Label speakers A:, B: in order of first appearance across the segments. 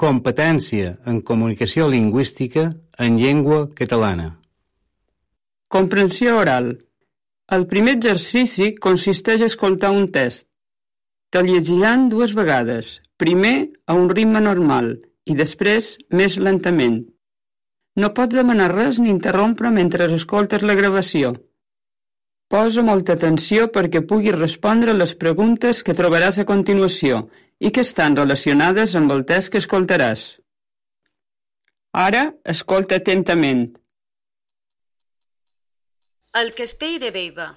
A: Competència en comunicació lingüística en llengua catalana.
B: Comprensió oral. El primer exercici consisteix a escoltar un test. Te'l llegiran 2 vegades, primer a un ritme normal i després més lentament. No pots demanar res ni interrompre mentre escoltes la gravació. Posa molta atenció perquè puguis respondre les preguntes que trobaràs a continuació i que estan relacionades amb el test que escoltaràs. Ara, escolta atentament.
C: El castell de Bellver.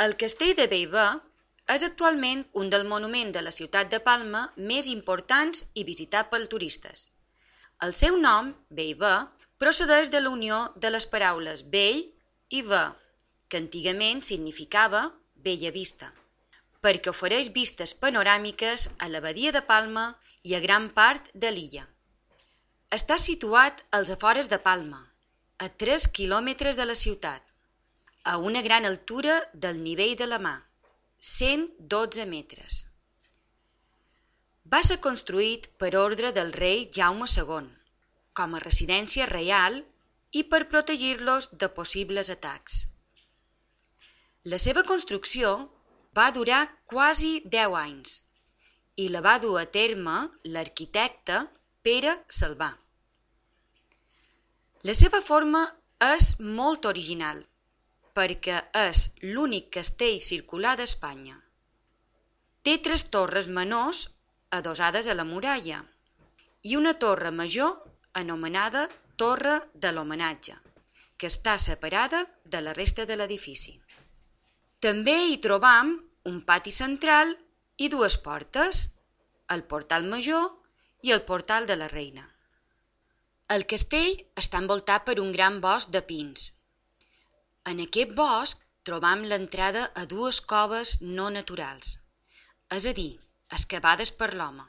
C: El castell de Bellver és actualment un dels monuments de la ciutat de Palma més importants i visitat pels turistes. El seu nom, Bellver, procedeix de la unió de les paraules bell i ver, que antigament significava bella vista, perquè ofereix vistes panoràmiques a la badia de Palma i a gran part de l'illa. Està situat als afores de Palma, a 3 quilòmetres de la ciutat, a una gran altura del nivell de la mar, 112 metres. Va ser construït per ordre del rei Jaume II, com a residència reial i per protegir-los de possibles atacs. La seva construcció va durar quasi 10 anys i la va dur a terme l'arquitecte Pere Salvà. La seva forma és molt original perquè és l'únic castell circular d'Espanya. Té 3 torres menors adossades a la muralla i una torre major anomenada Torre de l'Homenatge, que està separada de la resta de l'edifici. També hi trobam un pati central i 2 portes, el portal major i el portal de la Reina. El castell està envoltat per un gran bosc de pins. En aquest bosc trobam l'entrada a 2 coves no naturals, és a dir, excavades per l'home.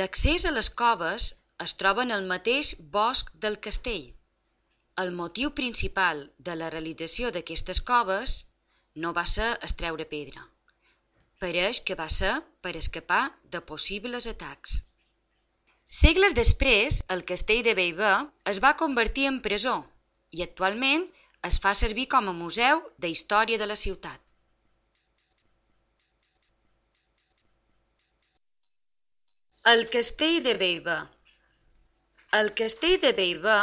C: L'accés a les coves es troba en el mateix bosc del castell. El motiu principal de la realització d'aquestes coves no va ser extreure pedra. Pareix que va ser per escapar de possibles atacs. Segles després, el castell de Bellver es va convertir en presó i actualment es fa servir com a museu de història de la ciutat. El castell de Bellver. El castell de Bellver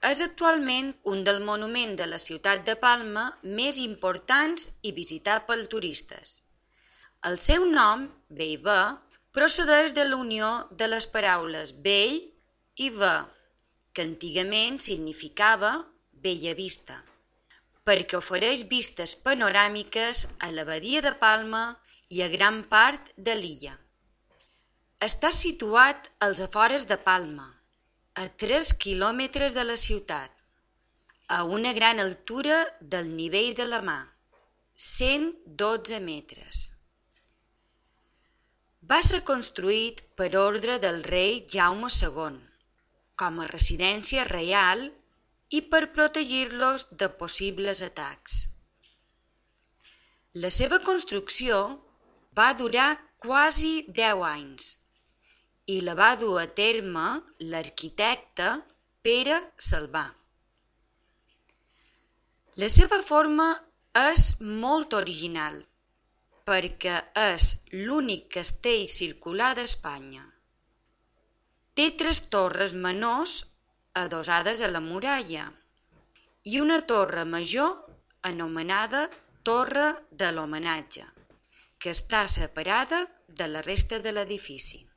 C: és actualment un dels monuments de la ciutat de Palma més importants i visitat pels turistes. El seu nom, Bellver, procedeix de la unió de les paraules bell i ver, que antigament significava bella vista, perquè ofereix vistes panoràmiques a la badia de Palma i a gran part de l'illa. Està situat als afores de Palma, a 3 quilòmetres de la ciutat, a una gran altura del nivell de la mar, 112 metres. Va ser construït per ordre del rei Jaume II, com a residència reial i per protegir-los de possibles atacs. La seva construcció va durar quasi 10 anys i la va dur a terme l'arquitecte Pere Salvà. La seva forma és molt original perquè és l'únic castell circular d'Espanya. Té 3 torres menors adossades a la muralla i una torre major anomenada Torre de l'Homenatge, que està separada de la resta de l'edifici.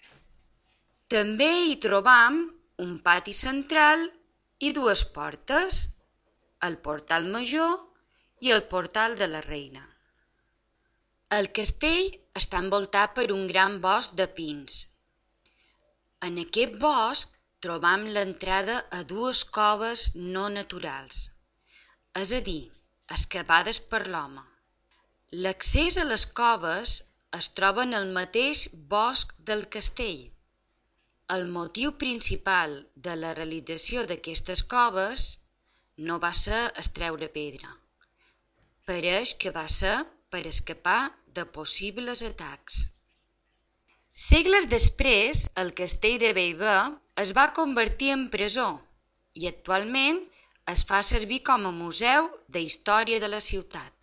C: També hi trobam un pati central i 2 portes, el portal major i el portal de la Reina. El castell està envoltat per un gran bosc de pins. En aquest bosc trobam l'entrada a 2 coves no naturals, és a dir, excavades per l'home. L'accés a les coves es troba en el mateix bosc del castell. El motiu principal de la realització d'aquestes coves no va ser extreure pedra. Pareix que va ser per escapar de possibles atacs. Segles després, el castell de Bellver es va convertir en presó i actualment es fa servir com a museu de història de la ciutat.